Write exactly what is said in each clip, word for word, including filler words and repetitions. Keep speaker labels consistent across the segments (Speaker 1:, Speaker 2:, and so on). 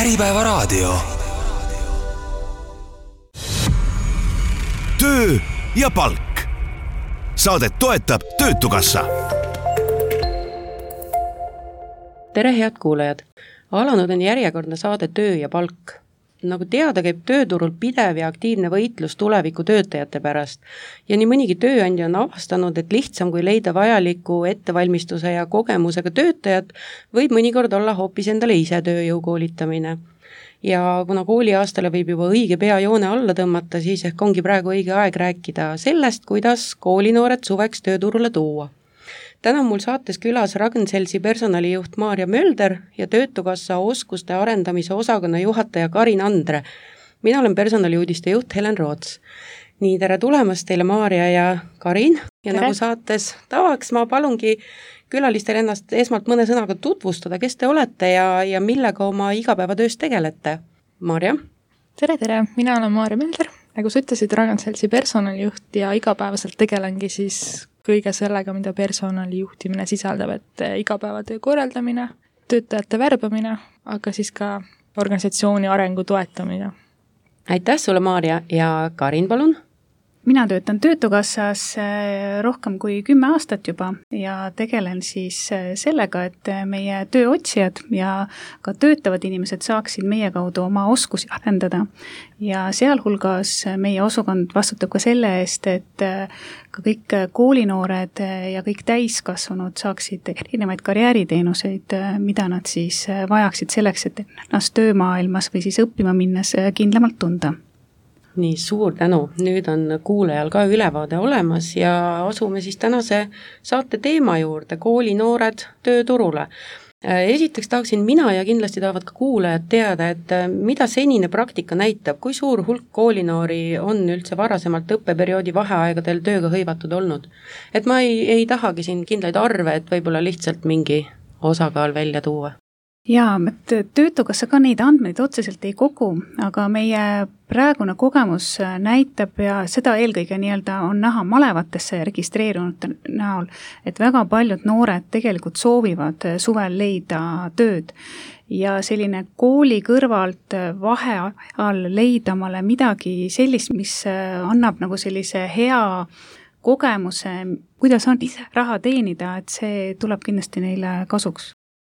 Speaker 1: Äripäevaraadio. Töö ja palk. Saadet toetab Töötukassa.
Speaker 2: Tere head kuulajad! Alanud on järjekordne saade Töö ja palk. Nagu teada, käib tööturul pidev ja aktiivne võitlus tuleviku töötajate pärast ja nii mõnigi tööandja on avastanud, et lihtsam kui leida vajaliku ettevalmistuse ja kogemusega töötajat, võib mõnikord olla hoopis endale ise tööjõu koolitamine. Ja kuna kooliaastale võib juba õige pea joone alla tõmmata, siis ehk ongi praegu õige aeg rääkida sellest, kuidas koolinoored suveks tööturule tuua. Täna on mul saates külas Ragn-Sellsi personalijuht Maarja Mölder ja Töötukassa oskuste arendamise osakonna juhataja Karin Andre. Mina olen personaliuudiste juht Helen Roots. Nii, tere tulemast teile Maarja ja Karin. Ja tere. Nagu saates tavaks ma palungi külalistel ennast esmalt mõne sõnaga tutvustada, kes te olete ja, ja millega oma igapäevatöös tegelete. Maarja?
Speaker 3: Tere, tere! Mina olen Maarja Mölder. Nagu sa ütlesid, Ragn-Sellsi personalijuht ja igapäevaselt tegelengi siis kõige sellega, mida personali juhtimine sisaldab, et igapäevatöö korraldamine, töötajate värbamine, aga siis ka organisatsiooni arengu toetamine.
Speaker 2: Aitäh sulle, Maarja, ja Karin, palun!
Speaker 4: Mina töötan Töötukassas rohkem kui kümme aastat juba ja tegelen siis sellega, et meie tööotsijad ja ka töötavad inimesed saaksid meie kaudu oma oskusi arendada. Ja sealhulgas meie osakond vastutab ka selle eest, et ka kõik koolinoored ja kõik täiskasvanud saaksid erinevaid karjääriteenuseid, mida nad siis vajaksid selleks, et ennast töömaailmas või siis õppima minnes kindlamalt tunda.
Speaker 2: Nii, suur tänu. Nüüd on kuulajal ka ülevaade olemas ja asume siis tänase saate teema juurde, koolinoored tööturule. Esiteks tahaksin mina ja kindlasti tahavad ka kuulajad teada, et mida senine praktika näitab, kui suur hulk koolinoori on üldse varasemalt õppeperioodi vaheaegadel tööga hõivatud olnud. Et ma ei, ei tahagi siin kindlaid arve, et võib-olla lihtsalt mingi osakaal välja tuua.
Speaker 4: Jaa, et Töötukassa ka neid andmeid otseselt ei kogu, aga meie praegune kogemus näitab ja seda eelkõige nii-öelda on näha malevatesse registreerunud näol, et väga paljud noored tegelikult soovivad suvel leida tööd ja selline kooli kõrvalt vaheajal leida omale midagi sellist, mis annab nagu sellise hea kogemuse, kuidas on ise raha teenida, et see tuleb kindlasti neile kasuks.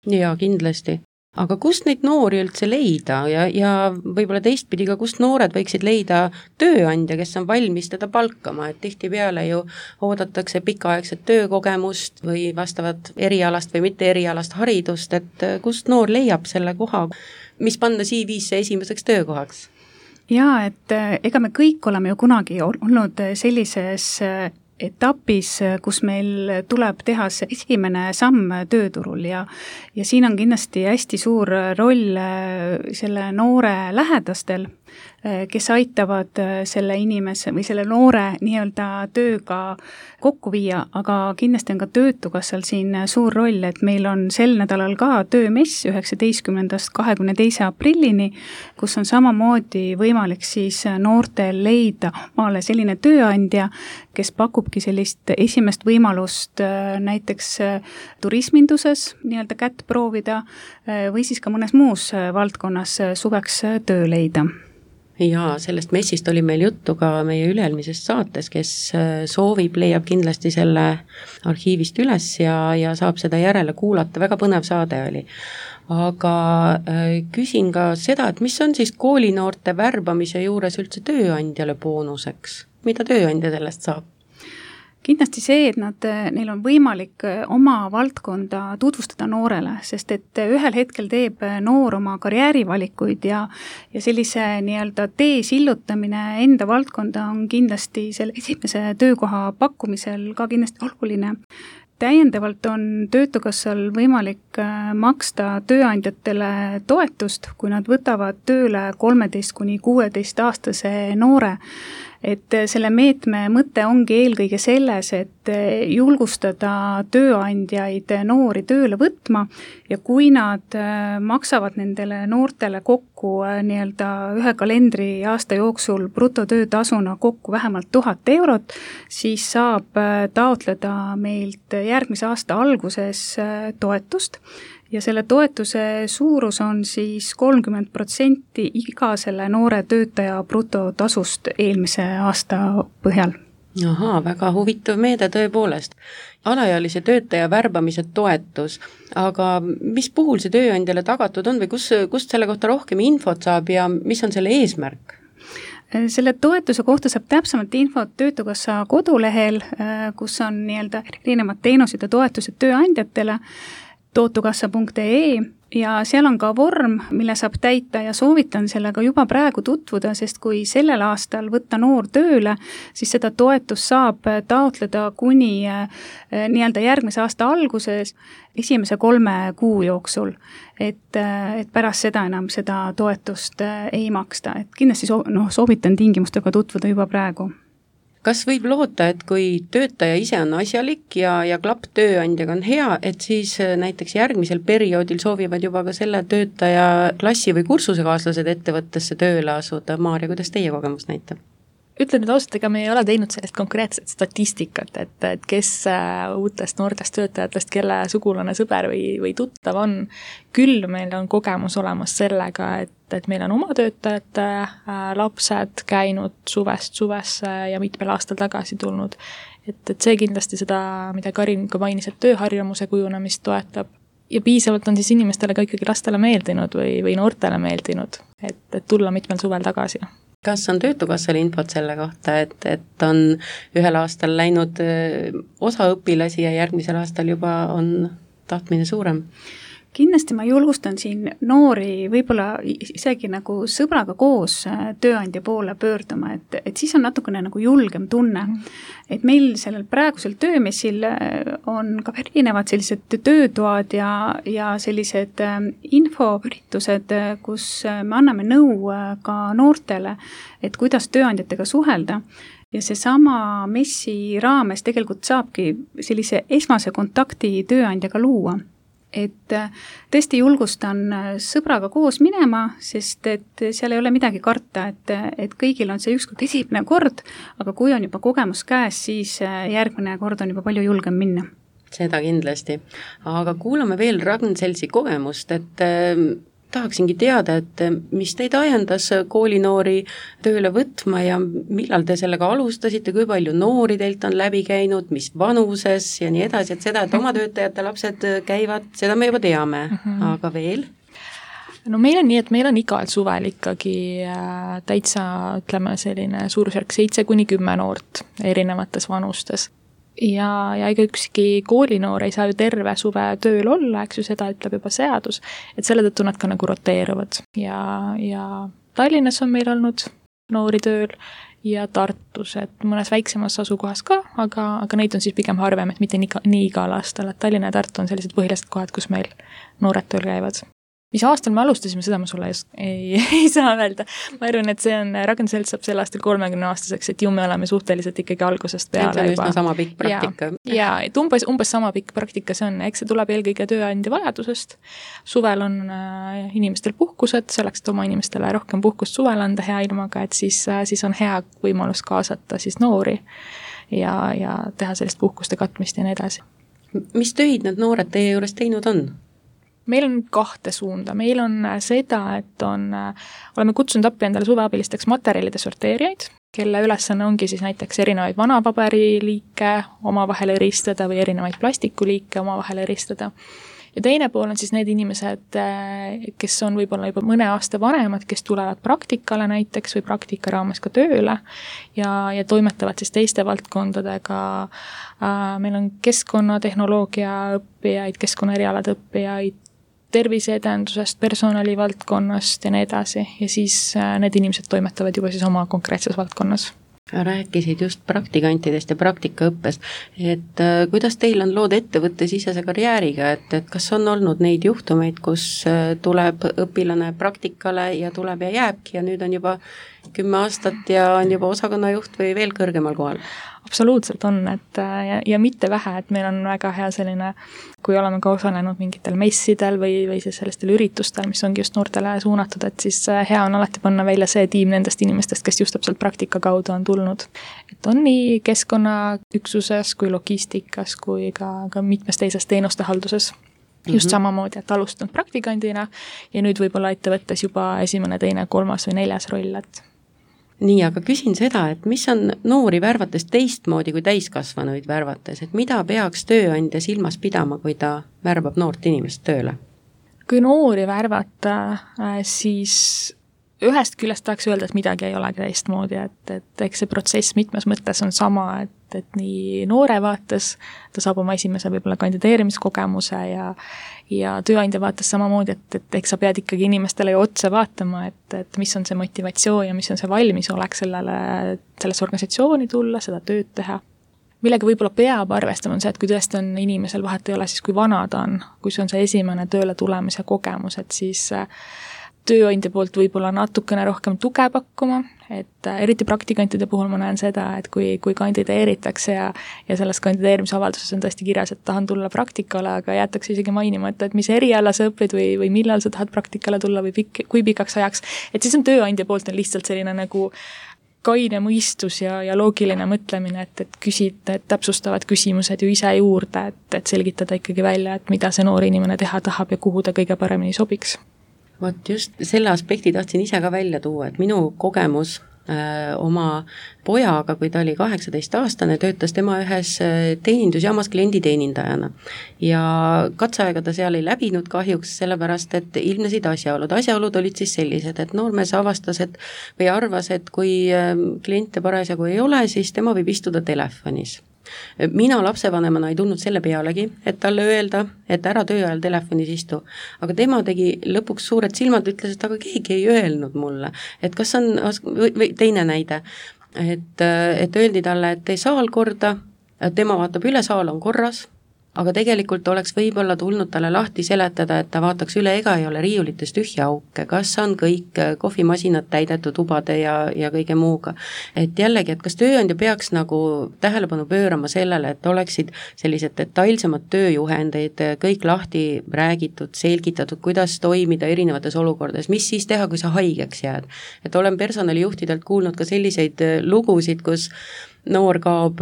Speaker 2: Jaa, kindlasti. Aga kust neid noori üldse leida ja, ja võib-olla teistpidi ka, kust noored võiksid leida tööandja, kes on valmis teda palkama, et tihtipeale ju oodatakse pikaaegset töökogemust või vastavat erialast või mitte erialast haridust, et kust noor leiab selle koha, mis panna C V-sse esimeseks töökohaks?
Speaker 4: Jaa, et ega me kõik oleme ju kunagi olnud sellises etapis, kus meil tuleb teha see esimene samm tööturul ja, ja siin on kindlasti hästi suur roll selle noore lähedastel, kes aitavad selle inimese või selle noore nii-öelda tööga kokku viia, aga kindlasti on ka Töötukassal siin suur roll, et meil on sel nädalal ka töömess üheksateistkümnendast kahekümne teise aprillini, kus on samamoodi võimalik siis noortel leida omale selline tööandja, kes pakubki sellist esimest võimalust näiteks turisminduses nii-öelda kätt proovida või siis ka mõnes muus valdkonnas suveks töö leida.
Speaker 2: Ja sellest messist oli meil juttu ka meie üleelmisest saates, kes soovib, leiab kindlasti selle arhiivist üles ja, ja saab seda järele kuulata. Väga põnev saade oli. Aga küsin ka seda, et mis on siis koolinoorte värbamise juures üldse tööandjale boonuseks? Mida tööandja sellest saab?
Speaker 4: Kindlasti see, et nad, neil on võimalik oma valdkonda tutvustada noorele, sest et ühel hetkel teeb noor oma karjäärivalikuid ja, ja sellise nii-öelda tee sillutamine enda valdkonda on kindlasti selle esimese töökoha pakkumisel ka kindlasti oluline. Täiendavalt on Töötukassal võimalik maksta tööandjatele toetust, kui nad võtavad tööle kolmeteist kuni kuueteist aastase noore. Et selle meetme mõte ongi eelkõige selles, et julgustada tööandjaid noori tööle võtma ja kui nad maksavad nendele noortele kokku nii-öelda ühe kalendri aasta jooksul brutotöötasuna kokku vähemalt tuhat eurot, siis saab taotleda meilt järgmise aasta alguses toetust ja selle toetuse suurus on siis kolmkümmend protsenti iga selle noore töötaja brutotasust eelmise aasta põhjal.
Speaker 2: Ahaa, väga huvitav meede tõepoolest. Alaealise töötaja värbamise toetus, aga mis puhul see tööandjale tagatud on või kus, kust selle kohta rohkem infot saab ja mis on selle eesmärk?
Speaker 4: Selle toetuse kohta saab täpsemalt infot Töötukassa kodulehel, kus on nii-öelda erinevad teenused ja toetused tööandjatele, tootukassa punkt ee ja seal on ka vorm, mille saab täita ja soovitan sellega juba praegu tutvuda, sest kui sellel aastal võtta noor tööle, siis seda toetust saab taotleda kuni nii-öelda järgmise aasta alguses esimese kolme kuu jooksul, et, et pärast seda enam seda toetust ei maksta, et kindlasti soo, no, soovitan tingimustega tutvuda juba praegu.
Speaker 2: Kas võib loota, et kui töötaja ise on asjalik ja, ja klapp tööandjaga on hea, et siis näiteks järgmisel perioodil soovivad juba ka selle töötaja klassi või kursusekaaslased ettevõttesse tööle asuda? Maarja, kuidas teie kogemus näitab?
Speaker 3: Ütlen nüüd ausalt, ega me ei ole teinud sellist konkreetset statistikat, et, et kes uutest noortest töötajatest, kelle sugulane, sõber või, või tuttav on. Küll meil on kogemus olemas sellega, et, et meil on oma töötajate äh, lapsed käinud suvest suvesse ja mitmel aastal tagasi tulnud. Et, et see kindlasti seda, mida Karin ka mainis, et tööharjumuse kujunemist toetab. Ja piisavalt on siis inimestele ka ikkagi lastele meeldinud või, või noortele meeldinud, et, et tulla mitmel suvel tagasi.
Speaker 2: Kas on Töötukassal infot selle kohta, et, et on ühel aastal läinud osa õpilasi ja järgmisel aastal juba on tahtmine suurem?
Speaker 4: Kindlasti ma julgustan siin noori võib-olla isegi nagu sõbraga koos tööandja poole pöörduma, et, et siis on natukene nagu julgem tunne. Et meil sellel praegusel töömessil on ka erinevad sellised töötoad ja, ja sellised infoüritused, kus me anname nõu ka noortele, et kuidas tööandjatega suhelda. Ja see sama messi raames tegelikult saabki sellise esmase kontakti tööandjaga luua. Et tõesti julgustan sõbraga koos minema, sest et seal ei ole midagi karta, et, et kõigil on see ükskord esimene kord, aga kui on juba kogemus käes, siis järgmine kord on juba palju julgem minna.
Speaker 2: Seda kindlasti. Aga kuulame veel Ragn-Sellsi kogemust, et äh, tahaksingi teada, et mis teid ajendas koolinoori tööle võtma ja millal te sellega alustasite, kui palju noori teilt on läbi käinud, mis vanuses ja nii edasi, et seda, et oma töötajate lapsed käivad, seda me juba teame, mm-hmm. aga veel?
Speaker 3: No meil on nii, et meil on igal suvel ikkagi täitsa, ütleme selline suurusjärk seitse kuni kümme noort erinevates vanustes. Ja, ja ega ükski koolinoor ei saa ju terve suve tööl olla, eks ju seda ütleb juba seadus, et selle tõttu nad ka nagu roteeruvad ja, ja Tallinnas on meil olnud noori tööl ja Tartus, et mõnes väiksemas asukohas ka, aga, aga neid on siis pigem harvem, et mitte nii, nii igal aastal, et Tallinna ja Tartu on sellised põhilised kohad, kus meil noored tööl käivad. Mis aastal me alustasime, seda ma sulle ei, ei saa öelda. Ma arvan, et see on, Ragn-Selts saab sel aastal kolmekümne aastaseks, et ju me oleme suhteliselt ikkagi algusest peale.
Speaker 2: See on üsna sama pikk praktika.
Speaker 3: Ja, ja et umbes, umbes sama pikk praktika see on, eks see tuleb eelkõige tööandja vajadusest. Suvel on äh, inimestel puhkused, selleks, et oma inimestele rohkem puhkust suvel anda hea ilmaga, et siis, äh, siis on hea võimalus kaasata siis noori ja, ja teha sellist puhkuste katmist ja nii edasi.
Speaker 2: Mis töid need noored teie juures teinud on?
Speaker 3: Meil on kahte suunda. Meil on seda, et on, oleme kutsunud appi endale suveabilisteks materjalide sorteerijaid, kelle ülesanne ongi siis näiteks erinevaid vanapaberiliike omavahel eristada või erinevaid plastikuliike omavahel eristada. Ja teine pool on siis need inimesed, kes on võib-olla juba mõne aasta vanemad, kes tulevad praktikale näiteks või praktika raames ka tööle ja, ja toimetavad siis teiste valdkondadega. Meil on keskkonnatehnoloogia õppijaid, keskkonnaerialade õppijaid, terviseedendusest, personalivaldkonnast ja nii edasi. Ja siis need inimesed toimetavad juba siis oma konkreetses valdkonnas.
Speaker 2: Rääkisid just praktikantidest ja praktikaõppest, et äh, kuidas teil on lood ettevõtte sisese karjääriga, et, et kas on olnud neid juhtumeid, kus äh, tuleb õpilane praktikale ja tuleb ja jääbki ja nüüd on juba kümme aastat ja on juba osakonnajuht või veel kõrgemal kohal?
Speaker 3: Absoluutselt on, et ja, ja mitte vähe, et meil on väga hea selline, kui oleme ka osalenud mingitel messidel või, või siis sellistel üritustel, mis ongi just noortele suunatud, et siis hea on alati panna välja see tiim nendest inimestest, kes just täpselt praktika kaudu on tulnud. Et on nii keskkonnaüksuses kui logistikas kui ka, ka mitmes teises teenuste halduses. just mm-hmm. samamoodi, et alustanud praktikandina ja nüüd võib-olla ettevõttes juba esimene, teine, kolmas või neljas roll, et
Speaker 2: nii, aga küsin seda, et mis on noori värvates teistmoodi kui täiskasvanuid värvates, et mida peaks tööandja silmas pidama, kui ta värbab noort inimest tööle?
Speaker 3: Kui noori värvata, siis ühest küljest tahaks öelda, et midagi ei olegi teistmoodi, et, et eks see protsess mitmes mõttes on sama, et, et nii noore vaates ta saab oma esimese võib-olla kandideerimiskogemuse ja, ja tööandja vaates samamoodi, et, et eks sa pead ikkagi inimestele ju otsa vaatama, et, et mis on see motivatsioon ja mis on see valmisolek sellele, sellesse organisatsiooni tulla, seda tööd teha. Millega võib-olla peab arvestama on see, et kui tõesti on inimesel vahet ei ole, siis kui vana ta on, kui see on see esimene tööle tulemise kogemus, et siis tööandja poolt võib-olla natukene rohkem tuge pakkuma, et eriti praktikantide puhul ma näen seda, et kui, kui kandideeritakse ja, ja selles kandideerimisavalduses on tõesti kirjas, et tahan tulla praktikale, aga jäetakse isegi mainimata, et mis eriala sa õpid või, või millal sa tahad praktikale tulla või pikk, kui pikaks ajaks, et siis on tööandja poolt on lihtsalt selline nagu kaine mõistus ja, ja loogiline mõtlemine, et, et küsid, et täpsustavad küsimused ju ise juurde, et, et selgitada ikkagi välja, et mida see noor inimene teha tahab ja kuhu ta kõige paremini sobiks.
Speaker 2: Vot just selle aspekti tahtsin ise ka välja tuua, et minu kogemus äh, oma pojaga, kui ta oli kaheksateist aastane, töötas tema ühes teenindusjaamas klienditeenindajana. Ja katseaega ta seal ei läbinud kahjuks, sellepärast, et ilmnesid asjaolud. Asjaolud olid siis sellised, et noormees avastas, et või arvas, et kui kliente parasjagu ei ole, siis tema võib istuda telefonis. Mina lapsevanemana ei tulnud selle pealegi, et talle öelda, et ära töö ajal telefonis istu. Aga tema tegi lõpuks suured silmad, ütles, et aga keegi ei öelnud mulle. Et kas on, või teine näide, et, et öeldi talle, et tee saal korda, et tema vaatab üle, saal on korras, aga tegelikult oleks võib-olla tulnud talle lahti seletada, et ta vaataks üle, ega ei ole riiulites tühja auke, kas on kõik kohvimasinad täidetud ubade ja, ja kõige muuga. Et jällegi, et kas tööandja peaks nagu tähelepanu pöörama sellele, et oleksid sellised detailsemad tööjuhendeid, kõik lahti räägitud, selgitatud, kuidas toimida erinevates olukordades, mis siis teha, kui sa haigeks jääd. Et olen personalijuhtidelt kuulnud ka selliseid lugusid, kus noor kaob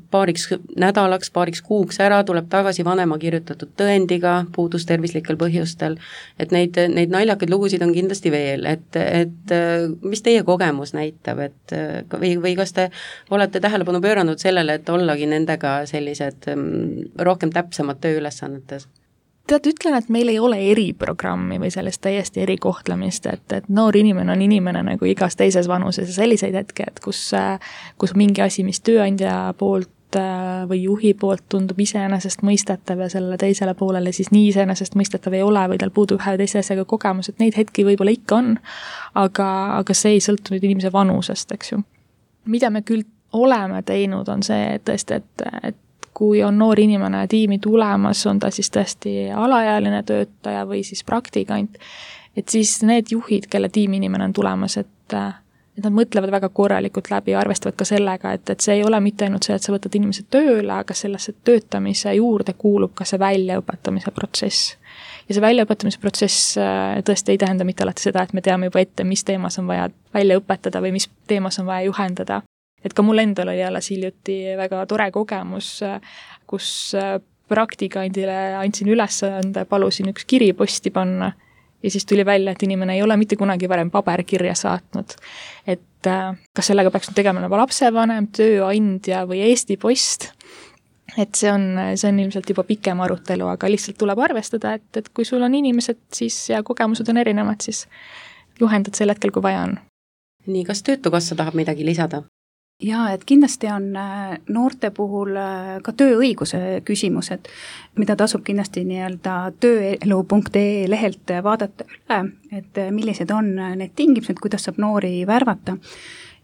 Speaker 2: paariks nädalaks, paariks kuuks ära, tuleb tagasi vanema kirjutatud tõendiga, puudus tervislikel põhjustel, et neid, neid naljakaid lugusid on kindlasti veel, et, et mis teie kogemus näitab, et või, või kas te olete tähelepanu pööranud sellele, et ollagi nendega sellised rohkem täpsemad tööülesannetes?
Speaker 3: Tead, ütlen, et meil ei ole eriprogrammi või sellest täiesti erikohtlemist, et, et noor inimene on inimene nagu igas teises vanuses ja selliseid hetke, et kus, kus mingi asi, mis tööandja poolt või juhi poolt tundub iseenesest mõistetav ja sellele teisele poolele siis nii iseenesest mõistetav ei ole või tal puudub ühe või teise asjaga kogemus, et neid hetki võib-olla ikka on, aga, aga see ei sõltu nüüd inimese vanusest, eks ju. Mida me küll oleme teinud, on see, et tõesti, et, et kui on noor inimene tiimi tulemas, on ta siis tõesti alaealine töötaja või siis praktikant, et siis need juhid, kelle tiimi inimene on tulemas, et, et nad mõtlevad väga korralikult läbi ja arvestavad ka sellega, et, et see ei ole mitte ainult see, et sa võtad inimesed tööle, aga sellesse töötamise juurde kuulub ka see väljaõpetamise protsess. Ja see väljaõpetamise protsess tõesti ei tähenda mitte alati seda, et me teame juba ette, mis teemas on vaja välja õpetada või mis teemas on vaja juhendada. Et ka mul endal oli jälle hiljuti väga tore kogemus, kus praktikandile andsin ülesande, palusin üks kiri posti panna ja siis tuli välja, et inimene ei ole mitte kunagi varem paberkirja saatnud. Et kas sellega peaks tegema nagu lapsevanem, tööandja või Eesti Post, et see on, see on ilmselt juba pikem arutelu, aga lihtsalt tuleb arvestada, et, et kui sul on inimesed siis ja kogemused on erinevad, siis juhendad sel hetkel, kui vaja on.
Speaker 2: Nii, kas Töötukassa tahab midagi lisada?
Speaker 4: Jaa, et kindlasti on noorte puhul ka tööõiguse küsimused, mida tasub kindlasti nii-öelda tööelu punkt ee lehelt vaadata üle, et millised on need tingimused, kuidas saab noori värvata.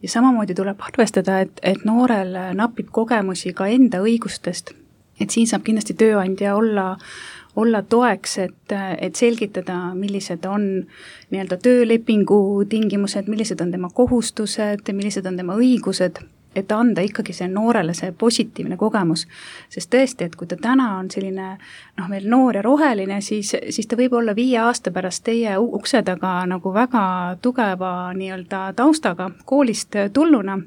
Speaker 4: Ja samamoodi tuleb arvestada, et, et noorel napib kogemusi ka enda õigustest, et siin saab kindlasti tööandja olla olla toeks, et, et selgitada, millised on nii-öelda töölepingu tingimused, millised on tema kohustused, millised on tema õigused, et anda ikkagi see noorele see positiivne kogemus. Sest tõesti, et kui ta täna on selline noh, veel noor ja roheline, siis, siis ta võib olla viie aasta pärast teie ukse taga nagu väga tugeva nii-öelda taustaga koolist tulluna.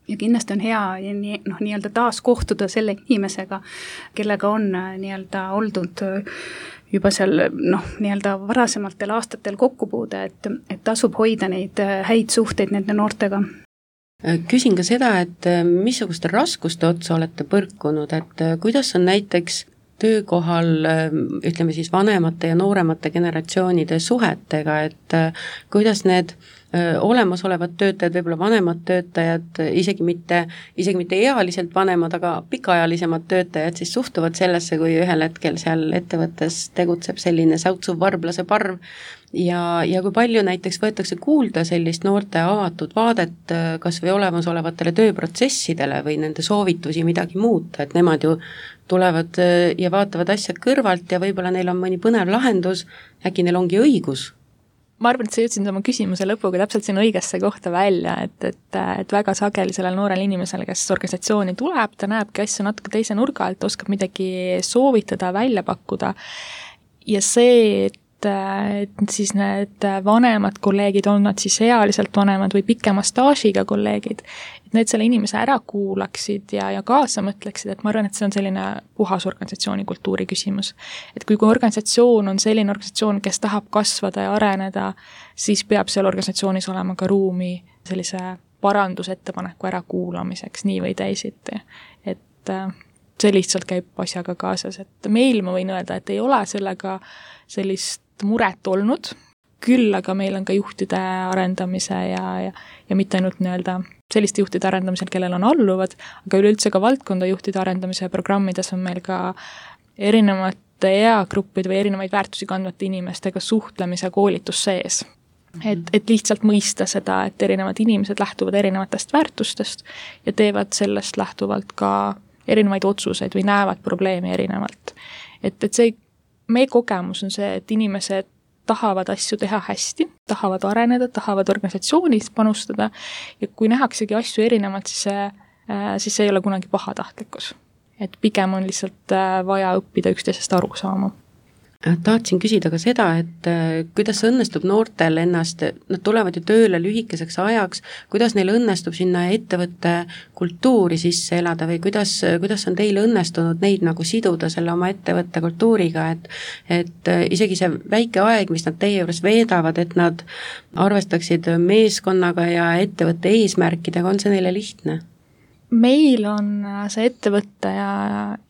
Speaker 4: Ja kindlasti on hea nii, noh, nii-öelda taas kohtuda selle inimesega, kellega on nii-öelda oldud juba seal noh, nii-öelda varasematel aastatel kokkupuude, et, et tasub hoida neid häid suhteid nende noortega.
Speaker 2: Küsin ka seda, et missuguste raskuste otsa olete põrkunud, et kuidas on näiteks töökohal, ütleme siis vanemate ja nooremate generatsioonide suhetega, et kuidas need olemasolevad töötajad, võib-olla vanemad töötajad, isegi mitte, isegi mitte ealiselt vanemad, aga pikaajalisemad töötajad siis suhtuvad sellesse, kui ühel hetkel seal ettevõttes tegutseb selline säutsuv varblase parv ja, ja kui palju näiteks võetakse kuulda sellist noorte avatud vaadet kas või olemasolevatele tööprotsessidele või nende soovitusi midagi muuta, et nemad ju tulevad ja vaatavad asja kõrvalt ja võib-olla neil on mõni põnev lahendus, äkki neil ongi õigus.
Speaker 3: Ma arvan, et sa jõudsin oma küsimuse lõpuga täpselt siin õigesse kohta välja, et, et, et väga sageli sellel noorel inimesel, kes organisatsiooni tuleb, ta näebki asju natuke teise nurga alt, oskab midagi soovitada, välja pakkuda ja see, et, et siis need vanemad kolleegid, on nad siis ealiselt vanemad või pikema staažiga kolleegid, et need selle inimese ära kuulaksid ja, ja kaasa mõtleksid, et ma arvan, et see on selline puhas organisatsiooni kultuuri küsimus. Et kui, kui organisatsioon on selline organisatsioon, kes tahab kasvada ja areneda, siis peab seal organisatsioonis olema ka ruumi sellise parandusettepaneku ära kuulamiseks, nii või teisiti. Et see lihtsalt käib asjaga kaasas, et meil ma võin öelda, et ei ole sellega sellist muret olnud, küll aga meil on ka juhtide arendamise ja, ja, ja mitte ainult nii-öelda selliste juhtide arendamisel, kellel on alluvad, aga üleüldse ka valdkonda juhtide arendamise programmides on meil ka erinevate eagruppide või erinevaid väärtusi kandvate inimestega suhtlemise koolitus sees. Et, et lihtsalt mõista seda, et erinevad inimesed lähtuvad erinevatest väärtustest ja teevad sellest lähtuvalt ka erinevaid otsuseid või näevad probleemi erinevalt. Et, et see, meie kogemus on see, et inimesed tahavad asju teha hästi, tahavad areneda, tahavad organisatsioonis panustada ja kui nähaksegi asju erinevalt, siis see, siis see ei ole kunagi pahatahtlikkus. Et pigem on lihtsalt vaja õppida üksteisest aru saama.
Speaker 2: Tahtsin küsida ka seda, et kuidas õnnestub noortel ennast, nad tulevad ju tööle lühikeseks ajaks, kuidas neil õnnestub sinna ettevõtte kultuuri sisse elada või kuidas, kuidas on teil õnnestunud neid nagu siduda selle oma ettevõtte kultuuriga, et, et isegi see väike aeg, mis nad teie juures veedavad, et nad arvestaksid meeskonnaga ja ettevõtte eesmärkidega, on see neile lihtne?
Speaker 3: Meil on see ettevõtte ja,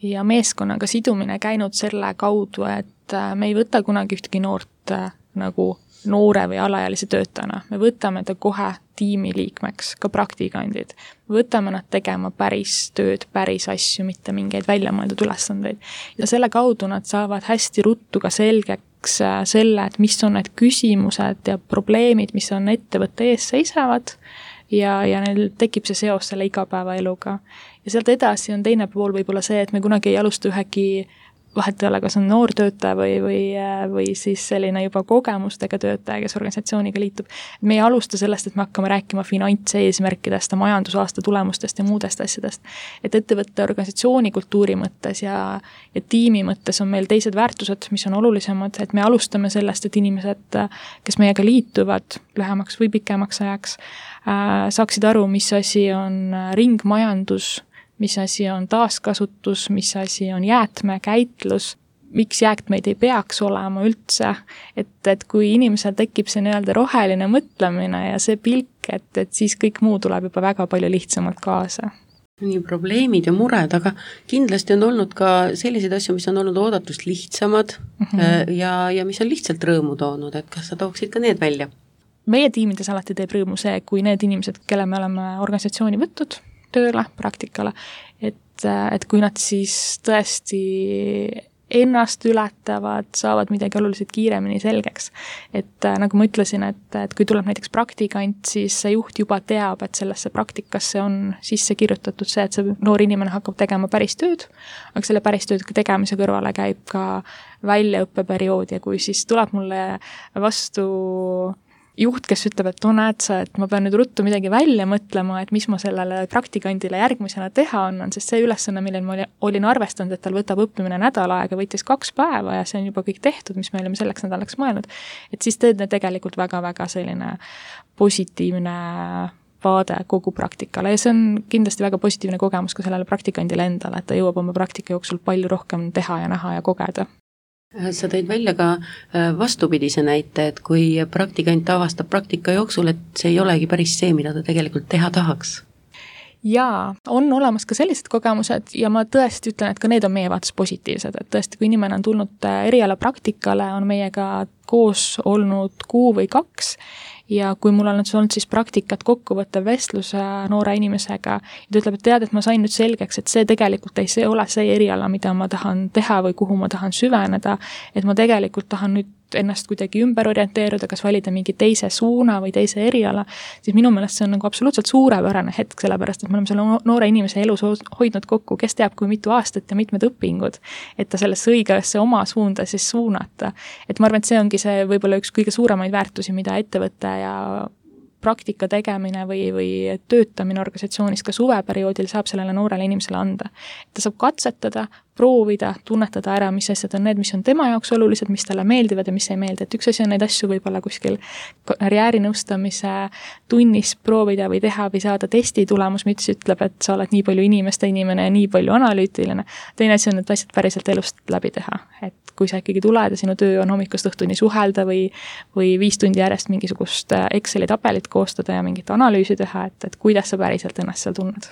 Speaker 3: ja meeskonnaga sidumine käinud selle kaudu, et me ei võta kunagi ühtegi noort nagu noore või alaealise töötajana. Me võtame ta kohe tiimi liikmeks, ka praktikandid. Me võtame nad tegema päris tööd, päris asju, mitte mingeid väljamõeldud ülesandeid. Ja selle kaudu nad saavad hästi ruttu ka selgeks selle, et mis on need küsimused ja probleemid, mis on ettevõtte ees seisavad ja, ja neil tekib see seos selle igapäevaeluga. Ja sealt edasi on teine pool võib-olla see, et me kunagi ei alusta ühegi vahet ei ole, kas on noor töötaja või, või, või siis selline juba kogemustega töötaja, kes organisatsiooniga liitub. Me ei alusta sellest, et me hakkame rääkima finantseesmärkidest, majandusaasta tulemustest ja muudest asjadest. Et ettevõtte organisatsiooni kultuuri mõttes ja, ja tiimi mõttes on meil teised väärtused, mis on olulisemad, et me alustame sellest, et inimesed, kes meiega liituvad lühemaks või pikemaks ajaks, saaksid aru, mis asi on ringmajandus, mis asi on taaskasutus, mis asi on jäätmekäitlus, miks jäätmeid ei peaks olema üldse, et, et kui inimesel tekib see nii-öelda roheline mõtlemine ja see pilk, et, et siis kõik muu tuleb juba väga palju lihtsamalt kaasa.
Speaker 2: Nii probleemid ja mured, aga kindlasti on olnud ka selliseid asju, mis on olnud oodatust lihtsamad mm-hmm. ja, ja mis on lihtsalt rõõmu toonud, et kas sa tooksid ka need välja?
Speaker 3: Meie tiimides alati teeb rõõmu see, kui need inimesed, kelle me oleme organisatsiooni võttud, tööle, praktikale, et, et kui nad siis tõesti ennast ületavad, saavad midagi oluliselt kiiremini selgeks. Et nagu ma ütlesin, et, et kui tuleb näiteks praktikant, siis see juht juba teab, et sellesse praktikasse on sisse kirjutatud see, et see noor inimene hakkab tegema päris tööd, aga selle päris tööd tegemise kõrvale käib ka väljaõppeperiood ja kui siis tuleb mulle vastu juht, kes ütleb, et no näed sa, et ma pean nüüd ruttu midagi välja mõtlema, et mis ma sellele praktikandile järgmisena teha annan, sest see ülesanne, millel ma olin arvestanud, et tal võtab õppimine nädal aega, võttis kaks päeva ja see on juba kõik tehtud, mis me olime selleks nädalaks mõelnud, et siis teed need tegelikult väga-väga selline positiivne vaade kogu praktikale ja see on kindlasti väga positiivne kogemus ka sellele praktikandile endale, et ta jõuab oma praktika jooksul palju rohkem teha ja näha ja kogeda.
Speaker 2: Sa tõid välja ka vastupidise näite, et kui praktikant avastab praktika jooksul, et see ei olegi päris see, mida ta tegelikult teha tahaks.
Speaker 3: Jaa, on olemas ka sellised kogemused ja ma tõesti ütlen, et ka need on meie vaates positiivsed, et tõesti, kui inimene on tulnud eriala praktikale, on meiega koos olnud kuu või kaks ja kui mul on olnud siis praktikat kokkuvõttev vestlus noore inimesega ja ta ütleb, et tead, et ma sain nüüd selgeks, et see tegelikult ei see ole see eriala, mida ma tahan teha või kuhu ma tahan süveneda, et ma tegelikult tahan nüüd ennast kuidagi ümber orienteeruda, kas valida mingi teise suuna või teise eriala, siis minu meelest see on nagu absoluutselt suurepärane hetk, sellepärast et me oleme selle noore inimese elus hoidnud kokku, kes teab kui mitu aastat ja mitmed õpingud, et ta sellesse õigesse oma suunda siis suunata. Et ma arvan, et see ongi see võib-olla üks kõige suuremaid väärtusi, mida ettevõte ja praktika tegemine või, või töötamine organisatsioonis ka suveperioodil saab sellele noorele inimesele anda. Ta saab katsetada, proovida, tunnetada ära, mis asjad on need, mis on tema jaoks olulised, mis talle meeldivad ja mis ei meeldi. Et üks asi on neid asju võib-olla kuskil karjäärinõustamise tunnis proovida või teha või saada testi tulemus, mis ütleb, et sa oled nii palju inimeste inimene ja nii palju analüütiline. Teine asi on need asjad päriselt elust läbi teha. Et kui sa ikkagi tuled ja sinu töö on hommikust õhtuni suhelda või, või viis tundi järjest mingisugust Exceli tabelit koostada ja mingit analüüsi teha, et, et kuidas sa päriselt ennast seal tunned.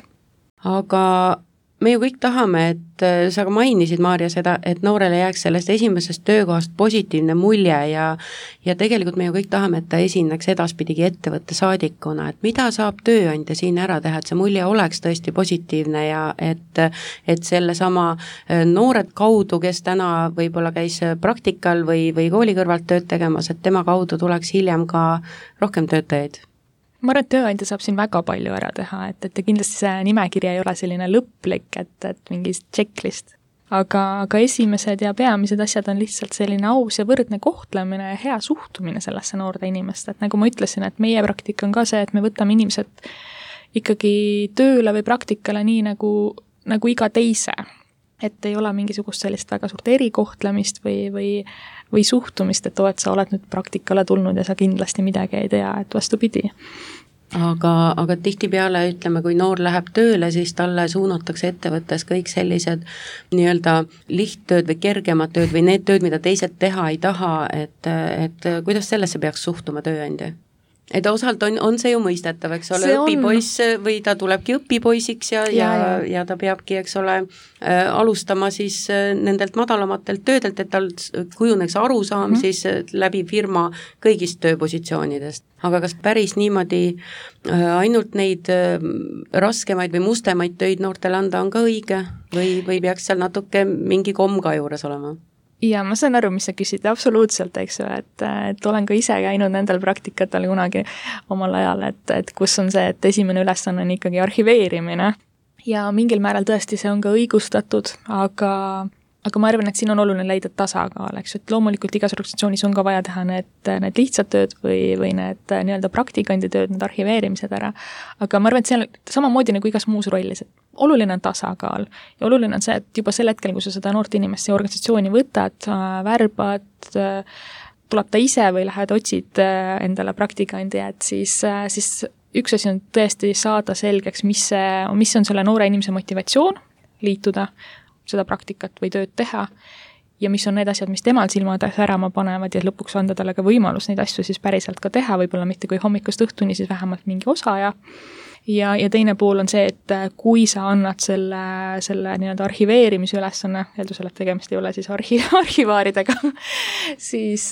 Speaker 2: Aga me ju kõik tahame, et sa ka mainisid, Maarja, seda, et noorele jääks sellest esimesest töökohast positiivne mulje ja, ja tegelikult me ju kõik tahame, et ta esineks edaspidigi ettevõtte saadikuna, et mida saab tööandja siin ära teha, et see mulje oleks tõesti positiivne ja et, et selle sama noored kaudu, kes täna võib-olla käis praktikal või, või kooli kõrvalt tööd tegemas, et tema kaudu tuleks hiljem ka rohkem töötajaid.
Speaker 3: Ma arvan, et tööandja saab siin väga palju ära teha, et, et kindlasti see nimekiri ei ole selline lõplik, et, et mingi checklist. Aga, aga esimesed ja peamised asjad on lihtsalt selline aus ja võrdne kohtlemine ja hea suhtumine sellesse noorde inimest. Et nagu ma ütlesin, et meie praktika on ka see, et me võtame inimesed ikkagi tööle või praktikale nii nagu, nagu iga teise. Et ei ole mingisugust sellist väga suurt erikohtlemist või, või, või suhtumist, et oo, et sa oled nüüd praktikale tulnud ja sa kindlasti midagi ei tea, et vastupidi.
Speaker 2: Aga, aga tihtipeale ütleme, kui noor läheb tööle, siis talle suunatakse ettevõttes kõik sellised nii-öelda lihttööd või kergemad tööd või need tööd, mida teised teha ei taha, et, et kuidas sellesse peaks suhtuma tööandja? Et osalt on, on see ju mõistetav, eks ole, õpipoiss või ta tulebki õpipoisiks ja, ja, ja, ja ta peabki, eks ole, äh, alustama siis äh, nendelt madalamatelt töödelt, et tal kujuneks arusaam mm. siis äh, läbi firma kõigist tööpositsioonidest. Aga kas päris niimoodi äh, ainult neid äh, raskemaid või mustemaid töid noortele anda on ka õige või, või peaks seal natuke mingi komm ka juures olema?
Speaker 3: Ja ma saan aru, mis sa küsid, absoluutselt, eks ju, et, et olen ka ise käinud nendel praktikatel kunagi omal ajal, et, et kus on see, et esimene ülesanne on ikkagi arhiveerimine ja mingil määral tõesti see on ka õigustatud, aga aga ma arvan, et siin on oluline leida tasakaal, eks, et loomulikult igas organisatsioonis on ka vaja teha need, need lihtsad tööd või, või need nii-öelda praktikandi tööd, need arhiveerimised ära, aga ma arvan, et see on samamoodi nagu igas muus rollis, et oluline on tasakaal ja oluline on see, et juba sel hetkel, kui sa seda noort inimest ja organisatsiooni võtad, värbad, tuleb ta ise või lähed otsid endale praktikandi, et siis, siis üks asi on tõesti saada selgeks, mis, see, mis on selle noore inimese motivatsioon liituda seda praktikat või tööd teha ja mis on need asjad, mis temal silmad särama panevad ja lõpuks anda talle ka võimalus neid asju siis päriselt ka teha, võib-olla mitte kui hommikust õhtuni, siis vähemalt mingi osa ja ja, ja teine pool on see, et kui sa annad selle, selle nii-öelda arhiveerimise ülesanne, eeldusel, et tegemist ei ole siis arhi, arhivaaridega, siis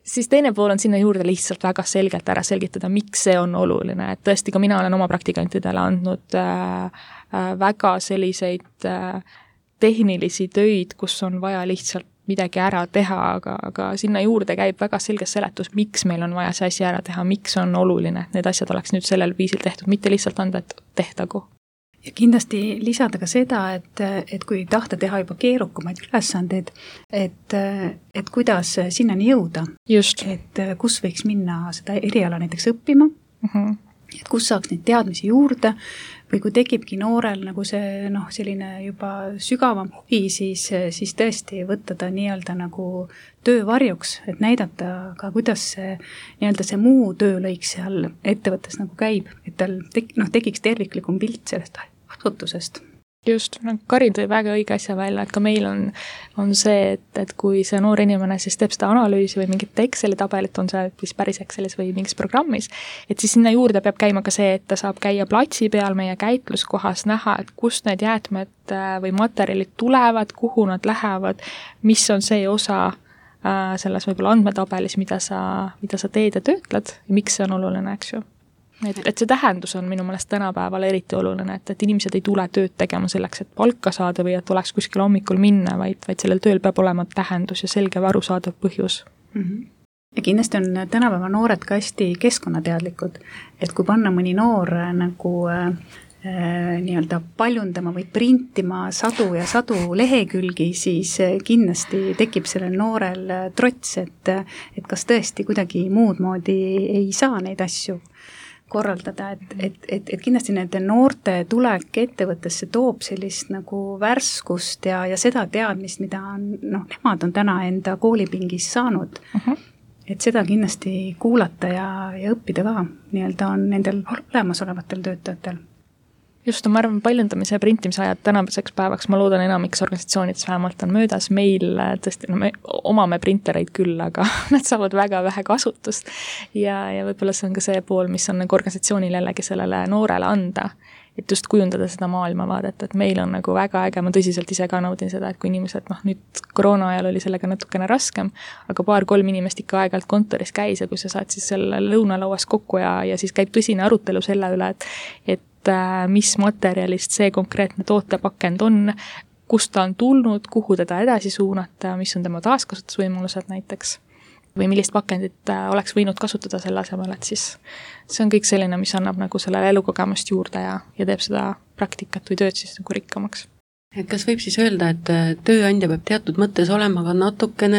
Speaker 3: siis teine pool on sinna juurde lihtsalt väga selgelt ära selgitada, miks see on oluline, et tõesti ka mina olen oma praktikantidele andnud äh, väga selliseid tehnilisi töid, kus on vaja lihtsalt midagi ära teha, aga, aga sinna juurde käib väga selge seletus, miks meil on vaja see asi ära teha, miks on oluline, et need asjad oleks nüüd sellel viisil tehtud, mitte lihtsalt anda, et tehtagu.
Speaker 4: Ja kindlasti lisada ka seda, et, et kui tahta teha juba keerukumaid ülesandeid, et, et kuidas sinnani jõuda.
Speaker 3: Just.
Speaker 4: Et kus võiks minna seda eriala näiteks õppima, uh-huh. et kus saaks neid teadmisi juurde või kui tekibki noorel nagu see noh, selline juba sügavam huvi, siis, siis tõesti võtta ta nii-öelda nagu töövarjuks, et näidata ka, kuidas see nii-öelda see muu töölõik seal ettevõttes nagu käib, et tal tek, noh, tekiks terviklikum pilt sellest asutusest.
Speaker 3: Just, no Karin tõi väga õige asja välja, et ka meil on, on see, et, et kui see noor inimene siis teeb seda analüüsi või mingit Exceli tabelit, on see siis päris Excelis või mingis programmis, et siis sinna juurde peab käima ka see, et ta saab käia platsi peal meie käitluskohas, näha, et kust need jäätmed või materjalid tulevad, kuhu nad lähevad, mis on see osa selles võib-olla andmetabelis, mida sa, mida sa teed ja töötled ja miks see on oluline, eks ju. Et, et see tähendus on minu meelest tänapäeval eriti oluline, et, et inimesed ei tule tööd tegema selleks, et palka saada või et oleks kuskil hommikul minna, vaid, vaid sellel tööl peab olema tähendus ja selge või arusaadav põhjus.
Speaker 4: Mm-hmm. Ja kindlasti on tänapäeva noored ka hästi keskkonnateadlikud, et kui panna mõni noor nagu äh, nii-öelda paljundama või printima sadu ja sadu lehekülgi, siis kindlasti tekib sellel noorel trots, et, et kas tõesti kuidagi muud moodi ei saa neid asju korraldada, et, et, et, et kindlasti nende noorte tulek ettevõttesse toob sellist nagu värskust ja, ja seda teadmist, mida on, noh, nemad on täna enda koolipingis saanud. Uh-huh. Et seda kindlasti kuulata ja, ja õppida ka nii-öelda on nendel olemasolevatel töötajatel.
Speaker 3: Just, ma arvan, paljundamise ja printimise ajad tänaseks päevaks, ma loodan enamiks organisatsioonides vähemalt on möödas, meil tõesti, no me omame printereid küll, aga nad saavad väga vähe kasutust ja, ja võib-olla see on ka see pool, mis on nagu organisatsioonil jällegi sellele noorele anda, et just kujundada seda maailmavaadet, et meil on nagu väga äge, ma tõsiselt ise ka naudin seda, et kui inimesed, noh nüüd koroona ajal oli sellega natukene raskem, aga paar-kolm inimest ikka aeg-ajalt kontoris käis ja kui sa saad siis selle lõunalauas kokku ja, ja siis käib tõsine arutelu selle üle, et, et mis materjalist see konkreetne tootepakend on, kust ta on tulnud, kuhu teda edasi suunata, mis on tema taaskasutusvõimalused näiteks või millist pakendit oleks võinud kasutada selle asemel, et siis see on kõik selline, mis annab nagu sellele elukogemust juurde ja, ja teeb seda praktikat või tööd siis nagu rikkamaks.
Speaker 2: Et kas võib siis öelda, et tööandja peab teatud mõttes olema ka natukene,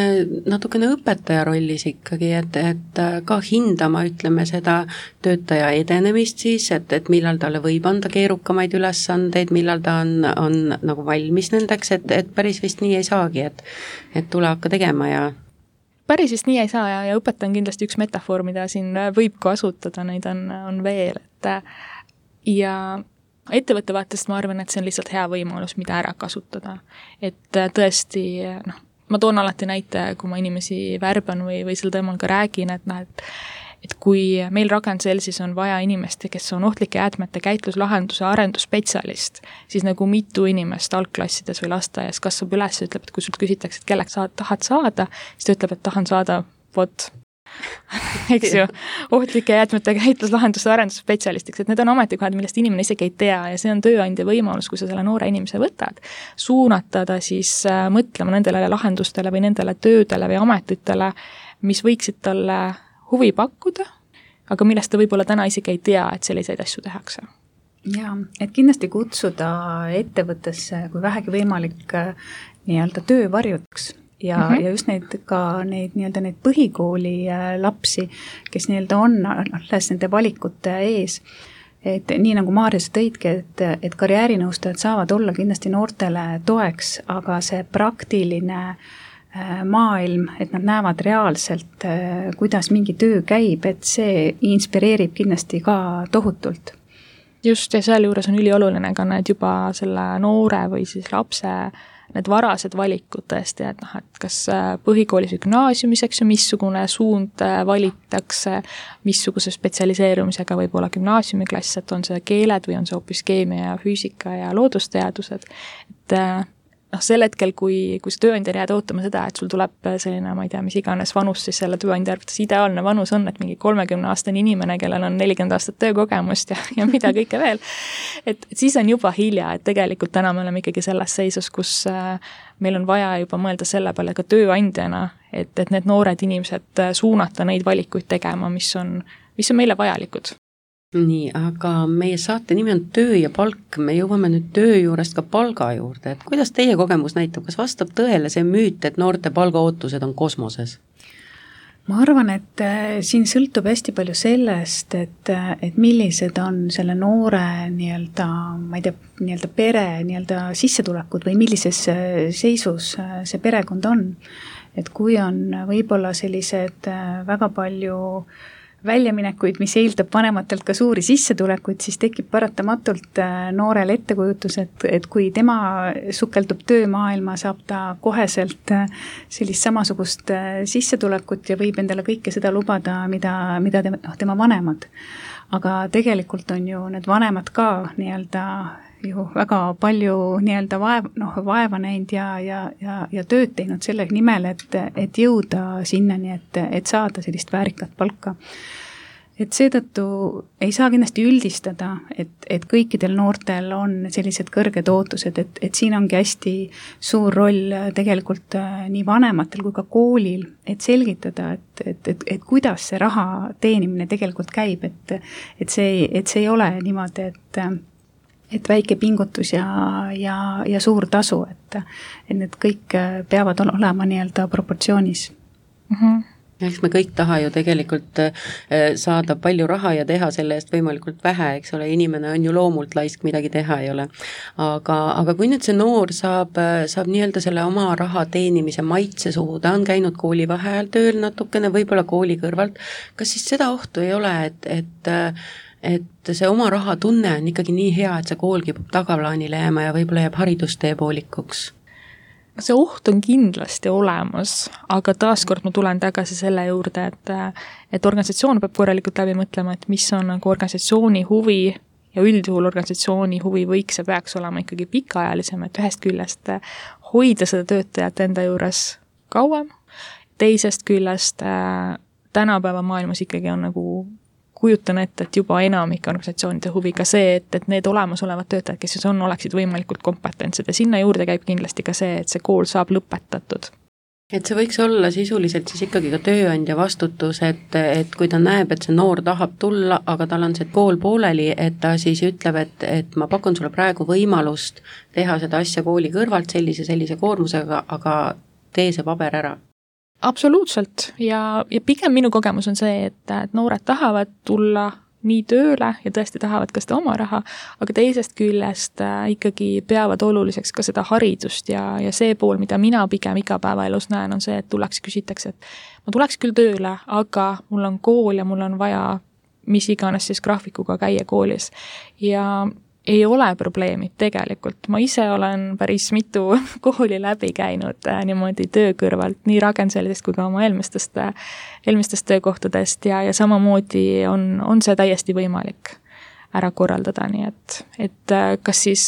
Speaker 2: natukene õpetaja rollis ikkagi, et, et ka hindama, ütleme, seda töötaja edenemist siis, et, et millal talle võib anda keerukamaid ülesandeid, millal ta on, on nagu valmis nendeks, et, et päris vist nii ei saagi, et, et tule hakka tegema ja
Speaker 3: päris vist nii ei saa ja, ja õpetaja on kindlasti üks metafoor, mida siin võib kasutada, neid on, on veel, et ja ettevõtte vaatest ma arvan, et see on lihtsalt hea võimalus, mida ära kasutada. Et tõesti, noh, ma toon alati näite, kui ma inimesi värban või, või sel teemal ka räägin, et, noh, et, et kui meil Ragn-Sellsis on vaja inimest, kes on ohtlike jäätmete käitluslahenduse arendusspetsialist, siis nagu mitu inimest algklassides või lasteaias kasvab üles ja ütleb, et kui sult küsitakse, et kelleks sa tahad saada, siis ta ütleb, et tahan saada vot eks ju, ohtlike jäätmete käitluslahenduse arendusspetsialistiks, et need on ametikohad, millest inimene isegi ei tea ja see on tööandja võimalus, kui sa selle noore inimese võtad, suunata ta siis mõtlema nendele lahendustele või nendele töödele või ametitele, mis võiksid talle huvi pakkuda, aga millest ta võib-olla täna isegi ei tea, et selliseid asju tehakse.
Speaker 4: Jaa, et kindlasti kutsuda ettevõttesse, kui vähegi võimalik, nii-öelda töövarjuks ja, mm-hmm. ja just neid ka neid nii-öelda neid põhikooli lapsi, kes nii-öelda on alles nende valikute ees, et nii nagu Maarjas tõidki, et, et karjäärinõustajad saavad olla kindlasti noortele toeks, aga see praktiline maailm, et nad näevad reaalselt, kuidas mingi töö käib, et see inspireerib kindlasti ka tohutult.
Speaker 3: Just, ja seal juures on ülioluline ka need juba selle noore või siis lapse need varased valikud tõesti, et noh, et kas põhikoolis või gümnaasiumis, eks ju, missugune suund valitakse, missuguse spetsialiseerumisega võib olla gümnaasiumiklass, et on see keeled või on see hoopis keemia ja füüsika ja loodusteadused, et noh, sel hetkel, kui, kui see tööandja jääd ootama seda, et sul tuleb selline, ma ei tea, mis iganes vanus, siis selle tööandja arvates ideaalne vanus on, et mingi kolmekümne aastane inimene, kellel on nelikümmend aastat töökogemust ja, ja mida kõike veel. Et, et siis on juba hilja, et tegelikult täna me oleme ikkagi selles seisus, kus meil on vaja juba mõelda selle peale ka tööandjana, et, et need noored inimesed suunata neid valikuid tegema, mis on, mis on meile vajalikud.
Speaker 2: Nii, aga meie saate nimi on töö ja palk, me jõuame nüüd töö juurest ka palga juurde, et kuidas teie kogemus näitab, kas vastab tõele see müüt, et noorte palgaootused on kosmoses?
Speaker 4: Ma arvan, et siin sõltub hästi palju sellest, et, et millised on selle noore nii-öelda, ma ei tea, nii-öelda pere nii-öelda sissetulekud või millises seisus see perekond on. Et kui on võib-olla sellised väga palju väljaminekuid, mis eeldab vanematelt ka suuri sissetulekuid, siis tekib paratamatult noorel ettekujutus, et, et kui tema sukeldub töömaailma, saab ta koheselt sellist samasugust sissetulekut ja võib endale kõike seda lubada, mida, mida tema, noh, tema vanemad. Aga tegelikult on ju need vanemad ka nii-öelda ju väga palju nii-öelda vaev, noh, vaeva näinud ja, ja, ja, ja tööd teinud selle nimel, et, et jõuda sinnani, et, et saada sellist väärikat palka. Et seetõttu ei saa kindlasti üldistada, et, et kõikidel noortel on sellised kõrged ootused, et, et siin ongi hästi suur roll tegelikult nii vanematel kui ka koolil, et selgitada, et, et, et, et kuidas see raha teenimine tegelikult käib, et, et, see, et see ei ole niimoodi, et et väike pingutus ja, ja, ja suur tasu, et, et need kõik peavad olema nii-öelda proportsioonis.
Speaker 2: Mm-hmm. Eks me kõik taha ju tegelikult saada palju raha ja teha selle eest võimalikult vähe, eks ole, inimene on ju loomult laisk, midagi teha ei ole. Aga, aga kui nüüd see noor saab, saab nii-öelda selle oma raha teenimise maitse suhu, ta on käinud kooli vaheajal tööl natukene, võib-olla kooli kõrvalt, kas siis seda ohtu ei ole, et, et et see oma raha tunne on ikkagi nii hea, et see kool kipub tagaplaanile jääma ja võib-olla jääb haridustee poolikuks?
Speaker 3: See oht on kindlasti olemas, aga taaskord ma tulen tagasi selle juurde, et, et organisatsioon peab korralikult läbi mõtlema, et mis on nagu organisatsiooni huvi ja üldjuhul organisatsiooni huvi võiks ja peaks olema ikkagi pikaajalisem, et ühest küljest hoida seda töötajat enda juures kauem, teisest küljest tänapäeva maailmas ikkagi on nagu kujutan ette, et juba enamik organisatsioonide huvi ka see, et, et need olemasolevad töötajad, kes on, oleksid võimalikult kompetentsed ja sinna juurde käib kindlasti ka see, et see kool saab lõpetatud.
Speaker 2: Et see võiks olla sisuliselt siis ikkagi ka tööandja vastutus, et, et kui ta näeb, et see noor tahab tulla, aga tal on see kool pooleli, et ta siis ütleb, et, et ma pakun sulle praegu võimalust teha seda asja kooli kõrvalt sellise, sellise koormusega, aga tee see paber ära.
Speaker 3: Absoluutselt ja, ja pigem minu kogemus on see, et, et noored tahavad tulla nii tööle ja tõesti tahavad ka seda oma raha, aga teisest küljest äh, ikkagi peavad oluliseks ka seda haridust ja, ja see pool, mida mina pigem igapäevaelus näen, on see, et tullaks küsitakse, et ma tuleks küll tööle, aga mul on kool ja mul on vaja mis iganes siis graafikuga käia koolis ja ei ole probleemi tegelikult. Ma ise olen päris mitu kooli läbi käinud äh, niimoodi töö kõrvalt, nii Ragn-Sellist kui ka oma eelmistest, eelmistest töökohtadest ja, ja samamoodi on, on see täiesti võimalik ära korraldada, nii et, et kas siis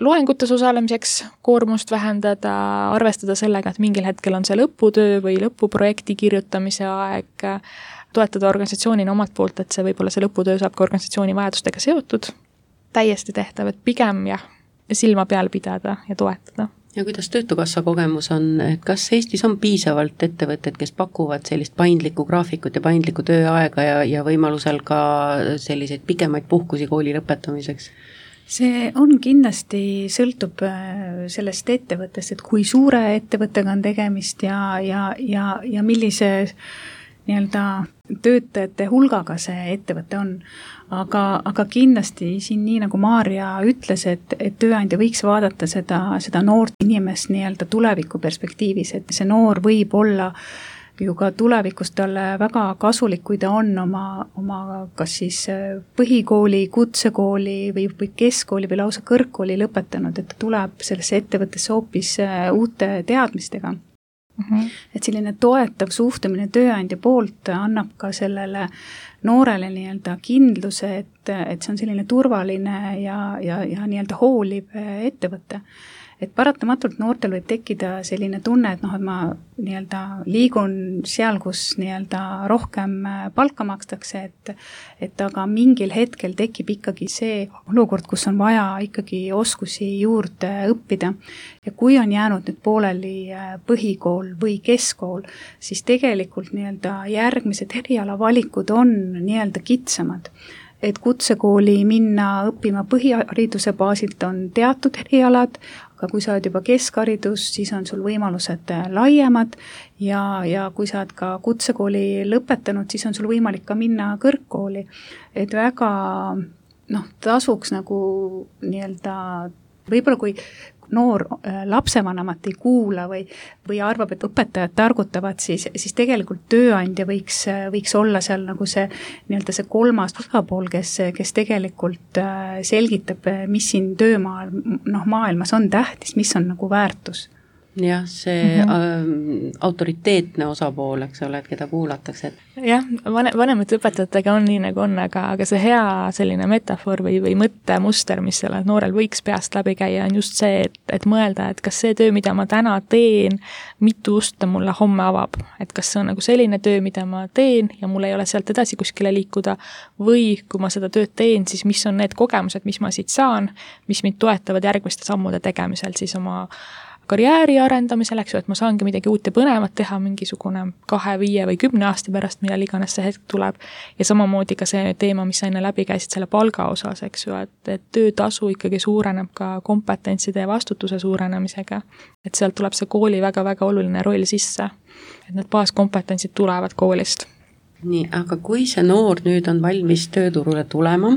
Speaker 3: loengutes osalemiseks koormust vähendada, arvestada sellega, et mingil hetkel on see lõputöö või lõpuprojekti kirjutamise aeg, toetada organisatsioonina omalt poolt, et see võib-olla see lõputöö saab ka organisatsiooni vajadustega seotud, täiesti tehtav, et pigem jah, silma peal pidada ja toetada.
Speaker 2: Ja kuidas Töötukassa kogemus on, et kas Eestis on piisavalt ettevõtted, kes pakuvad sellist paindlikku graafikut ja paindlikku tööaega ja, ja võimalusel ka selliseid pikemaid puhkusi kooli lõpetamiseks?
Speaker 4: See on kindlasti, sõltub sellest ettevõttest, et kui suure ettevõttega on tegemist ja, ja, ja, ja millise nii-öelda töötajate hulgaga see ettevõte on. Aga, aga kindlasti siin nii nagu Maarja ütles, et, et tööandja võiks vaadata seda, seda noort inimest nii-öelda tuleviku perspektiivis, et see noor võib olla ju ka tulevikus talle väga kasulik, kui ta on oma, oma kas siis põhikooli, kutsekooli või, või keskkooli või lausa kõrgkooli lõpetanud, et ta tuleb sellesse ettevõttesse hoopis uute teadmistega. Mm-hmm. Et selline toetav suhtumine tööandja poolt annab ka sellele noorele nii-öelda kindluse, et, et see on selline turvaline ja, ja, ja nii-öelda hooliv ettevõte. Et paratamatult noortel võib tekkida selline tunne, et noh, et ma nii-öelda liigun seal, kus nii-öelda rohkem palka makstakse, et, et aga mingil hetkel tekib ikkagi see olukord, kus on vaja ikkagi oskusi juurde õppida. Ja kui on jäänud nüüd pooleli põhikool või keskkool, siis tegelikult nii-öelda järgmised erialavalikud on nii-öelda kitsamad. Et kutsekooli minna õppima põhihariduse baasilt on teatud erialad, aga kui sa oled juba keskharidus, siis on sul võimalused laiemad ja, ja kui sa oled ka kutsekooli lõpetanud, siis on sul võimalik ka minna kõrgkooli. Et väga noh, tasuks nagu nii-öelda, võib-olla kui noor lapsevanemat ei kuula või, või arvab, et õpetajad targutavad, siis, siis tegelikult tööandja võiks, võiks olla seal nagu see nii-öelda see kolmas osapool, kes, kes tegelikult selgitab, mis siin töömaal, noh, maailmas on tähtis, mis on nagu väärtus.
Speaker 2: Jah, see mm-hmm. autoriteetne osapool, eks ole, et keda kuulatakse.
Speaker 3: Jah, vanemate õpetajatega on nii nagu on, aga, aga see hea selline metafoor või, või mõttemuster, mis sellel noorel võiks peast läbi käia, on just see, et, et mõelda, et kas see töö, mida ma täna teen, mitu usta mulle homme avab. Et kas see on nagu selline töö, mida ma teen ja mul ei ole sealt edasi kuskile liikuda, või kui ma seda tööd teen, siis mis on need kogemused, mis ma siit saan, mis mind toetavad järgmiste sammude tegemisel siis oma karjääri arendamisel, eks ju, et ma saangi midagi uut ja põnevat teha mingisugune kahe, viie või kümne aasta pärast, millal iganes see hetk tuleb. Ja samamoodi ka see teema, mis sa enne läbi käisid selle palga osas, eks ju, et, et töötasu ikkagi suureneb ka kompetentside ja vastutuse suurenemisega. Et sealt tuleb see kooli väga-väga oluline roll sisse. Et need baaskompetentsid tulevad koolist.
Speaker 2: Nii, aga kui see noor nüüd on valmis tööturule tulema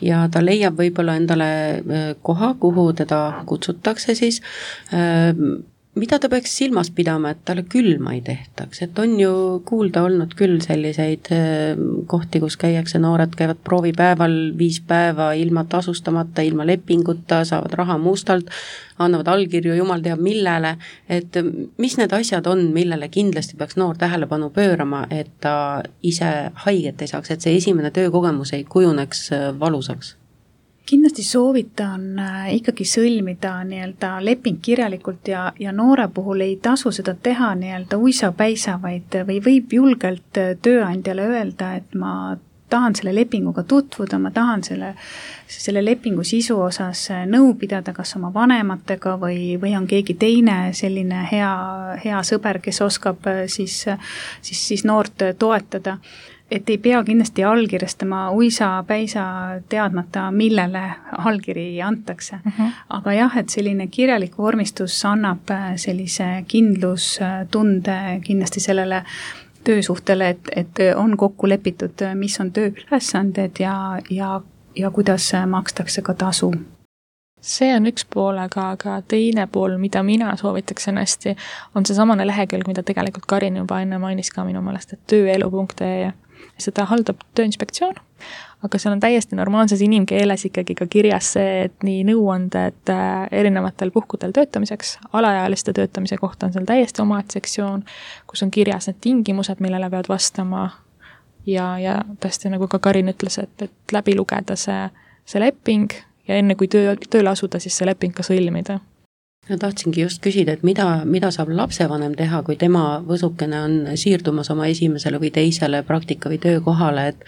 Speaker 2: ja ta leiab võib-olla endale koha, kuhu teda kutsutakse, siis mida ta peaks silmas pidama, et talle külma ei tehtaks, et on ju kuulda olnud küll selliseid kohti, kus käiakse, noored käivad proovipäeval viis päeva ilma tasustamata, ilma lepinguta, saavad raha mustalt, annavad allkirju jumal teab millele, et mis need asjad on, millele kindlasti peaks noor tähelepanu pöörama, et ta ise haiget ei saaks, et see esimene töökogemus ei kujuneks valusaks?
Speaker 4: Kindlasti soovitan ikkagi sõlmida nii-öelda leping kirjalikult ja, ja noore puhul ei tasu seda teha nii-öelda uisa-päisa, vaid või võib julgelt tööandjale öelda, et ma tahan selle lepinguga tutvuda, ma tahan selle, selle lepingu sisu osas nõu pidada, kas oma vanematega või, või on keegi teine selline hea, hea sõber, kes oskab siis, siis, siis noort toetada. Et ei pea kindlasti allkirjastama uisa-päisa teadmata, millele allkiri antakse. Uh-huh. Aga jah, et selline kirjalik vormistus annab sellise kindlustunde kindlasti sellele töösuhtele, et, et on kokku lepitud, mis on tööülesanded ja, ja, ja kuidas makstakse ka tasu.
Speaker 3: See on üks pool, aga, aga teine pool, mida mina soovitaksin hästi, on see samane lehekülg, mida tegelikult Karin juba enne mainis ka minu meelest, et tööelu punkt ee. Seda haldab Tööinspektsioon, aga seal on täiesti normaalses inimkeeles ikkagi ka kirjas see, et nii nõuanded erinevatel puhkudel töötamiseks, alaealiste töötamise kohta on seal täiesti omaed sektsioon, kus on kirjas need tingimused, millele peavad vastama ja, ja tõesti nagu ka Karin ütles, et, et läbi lugeda see, see leping ja enne kui töö, tööle asuda, siis see leping ka sõlmida.
Speaker 2: Ja tahtsingi just küsida, et mida, mida saab lapsevanem teha, kui tema võsukene on siirdumas oma esimesele või teisele praktika või töökohale, et,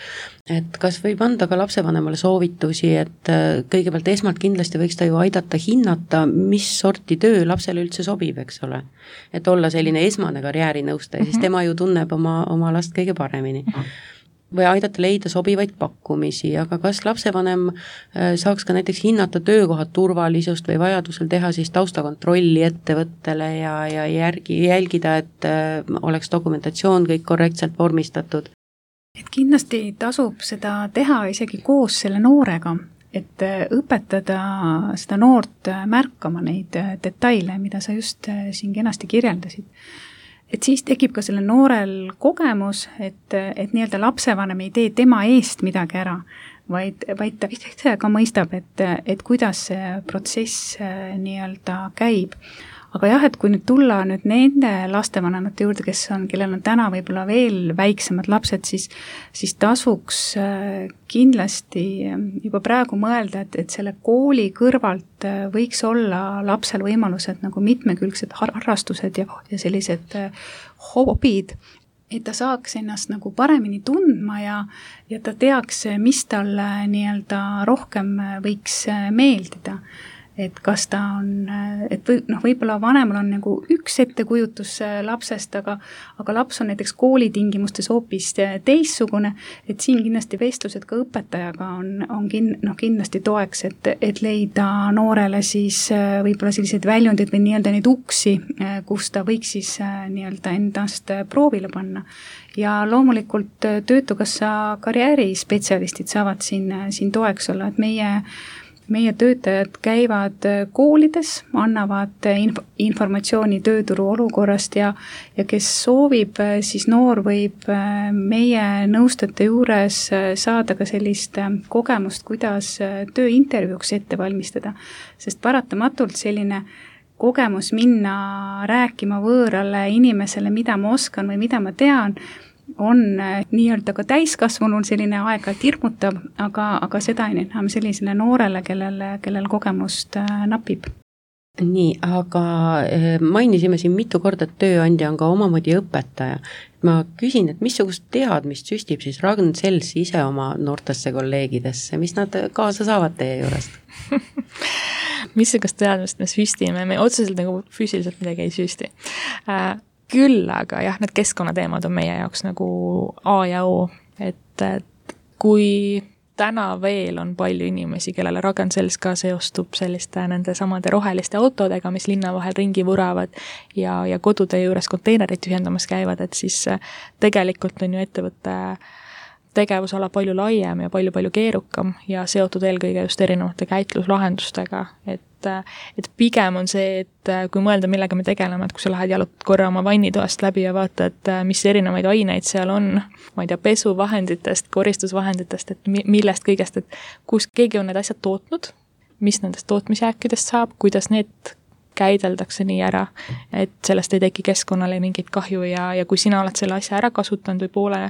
Speaker 2: et kas võib anda ka lapsevanemale soovitusi, et kõigepealt esmalt kindlasti võiks ta ju aidata hinnata, mis sorti töö lapsele üldse sobib, eks ole. Et olla selline esmane karjäärinõustaja, siis tema ju tunneb oma, oma last kõige paremini. Või aidata leida sobivaid pakkumisi, aga kas lapsevanem saaks ka näiteks hinnata töökoha turvalisust või vajadusel teha siis taustakontrolli ettevõttele ja, ja järgi, jälgida, et oleks dokumentatsioon kõik korrektselt vormistatud?
Speaker 4: Et kindlasti tasub seda teha isegi koos selle noorega, et õpetada seda noort märkama neid detaile, mida sa just siin kenasti kirjeldasid. Et siis tekib ka selle noorel kogemus, et, et nii-öelda lapsevanem ei tee tema eest midagi ära, vaid, vaid ta ise ka mõistab, et, et kuidas see protsess nii-öelda käib. Aga jah, et kui nüüd tulla nüüd nende lastevanemate juurde, kes on, kellel on täna võib-olla veel väiksemad lapsed, siis, siis tasuks kindlasti juba praegu mõelda, et, et selle kooli kõrvalt võiks olla lapsel võimalused nagu mitmekülgsed harrastused ja, ja sellised hobid, et ta saaks ennast nagu paremini tundma ja, ja ta teaks, mis talle nii-öelda rohkem võiks meeldida. Et kas ta on, et või, noh, võib-olla vanemal on nagu üks ettekujutus lapsest, aga, aga laps on näiteks koolitingimustes hoopis teissugune, et siin kindlasti vestlused ka õpetajaga on, on kin, noh, kindlasti toeks, et, et leida noorele siis võib-olla selliseid väljundid või nii-öelda neid uksi, kus ta võiks siis nii-öelda endast proovile panna. Ja loomulikult Töötukassa karjäärispetsialistid saavad siin, siin toeks olla, et meie meie töötajad käivad koolides, annavad inf- informatsiooni tööturu olukorrast ja, ja kes soovib, siis noor võib meie nõustajate juures saada ka sellist kogemust, kuidas tööintervjuuks ette valmistada. Sest paratamatult selline kogemus minna rääkima võõrale inimesele, mida ma oskan või mida ma tean, on nii-öelda ka täiskasvanul selline aeg-ajalt hirmutav, aga, aga seda enam sellisele noorele, kellel, kellel kogemust napib.
Speaker 2: Nii, aga mainisime siin mitu korda, et tööandja on ka omamoodi õpetaja. Ma küsin, et missugust teadmist süstib siis Ragn-Sells ise oma noortesse kolleegidesse, mis nad kaasa saavad teie juurest?
Speaker 3: Missugust teadmist me süstime, me otseselt nagu füüsiliselt midagi ei süsti. Küll, aga jah, need keskkonnateemad on meie jaoks nagu A ja O, et, et kui täna veel on palju inimesi, kellele Ragn-Sells ka seostub selliste nende samade roheliste autodega, mis linna vahel ringi vuravad ja, ja kodude juures konteinerid ühendamas käivad, et siis tegelikult on ju ettevõtte tegevusala palju laiem ja palju-palju keerukam ja seotud eelkõige just erinevate käitluslahendustega, et, et pigem on see, et kui mõelda, millega me tegeleme, et kui sa lähed jalutad korra oma vannitoast läbi ja vaatad, mis erinevaid aineid seal on, ma ei tea, pesuvahenditest, koristusvahenditest, et millest kõigest, et kus keegi on need asjad tootnud, mis nendest tootmisjääkidest saab, kuidas need käideldakse nii ära, et sellest ei teki keskkonnale mingit kahju ja, ja kui sina oled selle asja ära kasutanud või poole,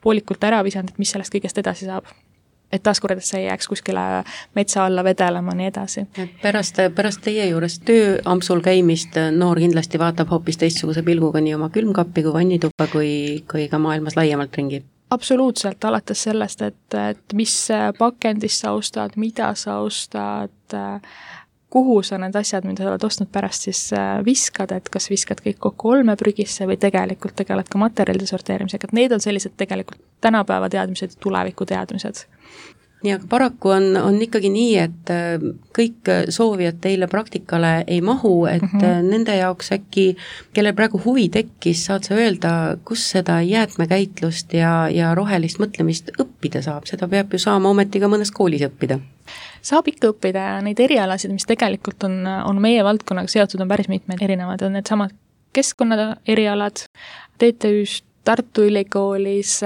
Speaker 3: poolikult ära visanud, et mis sellest kõigest edasi saab. Et taaskord, et see ei jääks kuskile metsa alla vedelema, nii edasi.
Speaker 2: Pärast, pärast teie juures tööampsul käimist noor kindlasti vaatab hoopis teistsuguse pilguga nii oma külmkappi kui vannituppa kui, kui ka maailmas laiemalt ringi.
Speaker 3: Absoluutselt, alates sellest, et, et mis pakendis sa ostad, mida sa ostad, kuhu sa need asjad, mida sa oled ostnud pärast siis viskad, et kas viskad kõik kokku olmeprügisse või tegelikult tegeled ka materjalide sorteerimisega, et need on sellised tegelikult tänapäeva teadmised ja tuleviku teadmised.
Speaker 2: Nii, aga paraku on, on ikkagi nii, et kõik soovijad teile praktikale ei mahu, et mm -hmm. nende jaoks äkki, kellel praegu huvi tekkis, saad sa öelda, kus seda jäätmekäitlust ja, ja rohelist mõtlemist õppida saab, seda peab ju saama ometi ka mõnes koolis õppida.
Speaker 3: Saab ikka õppida ja neid erialasid, mis tegelikult on, on meie valdkonnaga seotud, on päris mitmed erinevad, on need samad keskkonna erialad, T T Ü-st, Tartu Ülikoolis,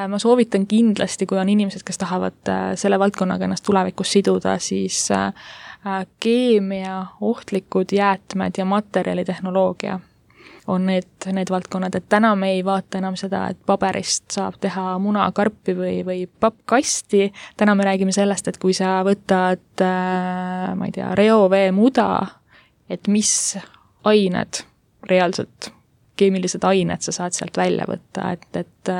Speaker 3: ma soovitan kindlasti, kui on inimesed, kes tahavad selle valdkonnaga ennast tulevikus siduda, siis keemia, ohtlikud jäätmed ja materjalitehnoloogia on need, need valdkonnad, et täna me ei vaata enam seda, et paberist saab teha munakarpi või, või pappkasti, täna me räägime sellest, et kui sa võtad, ma ei tea, reovee muda, et mis ained reaalselt keemilised ained sa saad sealt välja võtta, et, et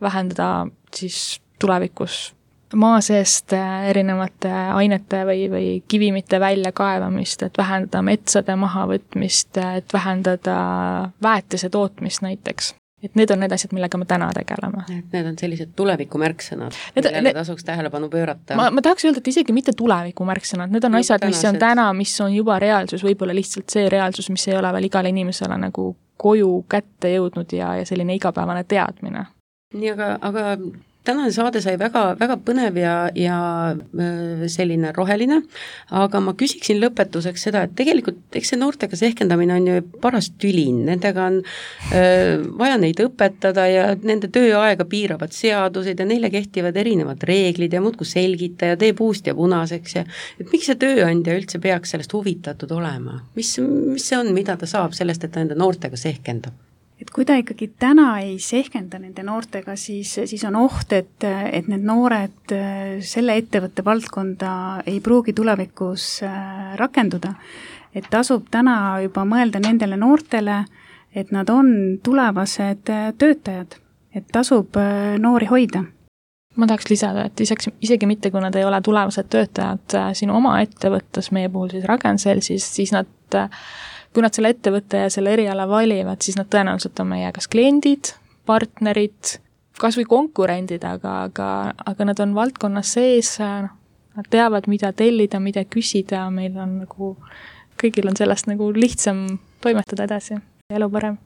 Speaker 3: vähendada siis tulevikus maa seest erinevate ainete või, või kivimite väljakaevamist, et vähendada metsade mahavõtmist, et vähendada väetise tootmist näiteks. Et need on need asjad, millega me täna tegeleme.
Speaker 2: Et need on sellised tulevikumärksõnad, millele tasuks tähelepanu pöörata.
Speaker 3: Ma, ma tahaks öelda, et isegi mitte tulevikumärksõnad, need on no, asjad, mis on täna, mis on juba reaalsus, võib-olla lihtsalt see reaalsus, mis ei ole veel igale inimesele nagu koju kätte jõudnud ja, ja selline igapäevane teadmine.
Speaker 2: Nii, aga, aga tänane saade sai väga, väga põnev ja, ja selline roheline, aga ma küsiksin lõpetuseks seda, et tegelikult eks see noortega sehkendamine on ju paras tülin, nendega on öö, vaja neid õpetada ja nende tööaega piiravad seadused ja neile kehtivad erinevad reeglid ja muudku selgita ja tee puust ja punaseks ja et miks see tööandja üldse peaks sellest huvitatud olema? Mis, mis see on, mida ta saab sellest, et ta nende noortega sehkendab?
Speaker 4: Et kui ta ikkagi täna ei sehkenda nende noortega, siis, siis on oht, et, et need noored selle ettevõtte valdkonda ei pruugi tulevikus rakenduda. Et tasub täna juba mõelda nendele noortele, et nad on tulevased töötajad, et tasub noori hoida.
Speaker 3: Ma tahaks lisada, et isegi, isegi mitte, kui nad ei ole tulevased töötajad sinu oma ettevõttes, meie puhul siis Ragn-Sellsis, siis nad kui nad selle ettevõtte ja selle eriala valivad, siis nad tõenäoliselt on meie kas kliendid, partnerid, kas või konkurendid, aga, aga, aga nad on valdkonnas sees, nad teavad, mida tellida, mida küsida, meil on nagu, kõigil on sellest nagu lihtsam toimetada edasi, elu parem.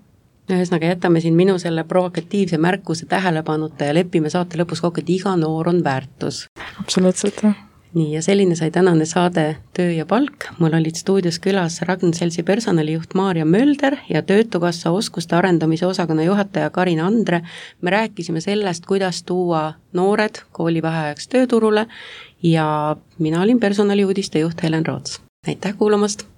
Speaker 2: Ühesõnaga jätame siin minu selle provokatiivse märkuse tähelepanuta ja lepime saate lõpus kokku, et iga noor on väärtus.
Speaker 3: Absoluutselt.
Speaker 2: nii, ja selline sai tänane saade Töö ja palk. Mul olid stuudios külas Ragn-Sellsi personalijuht Maarja Mölder ja Töötukassa oskuste arendamise osakonna juhataja Karin Andre. Me rääkisime sellest, kuidas tuua noored koolivaheajaks tööturule ja mina olin personaliuudiste juht Helen Roots. Aitäh kuulamast!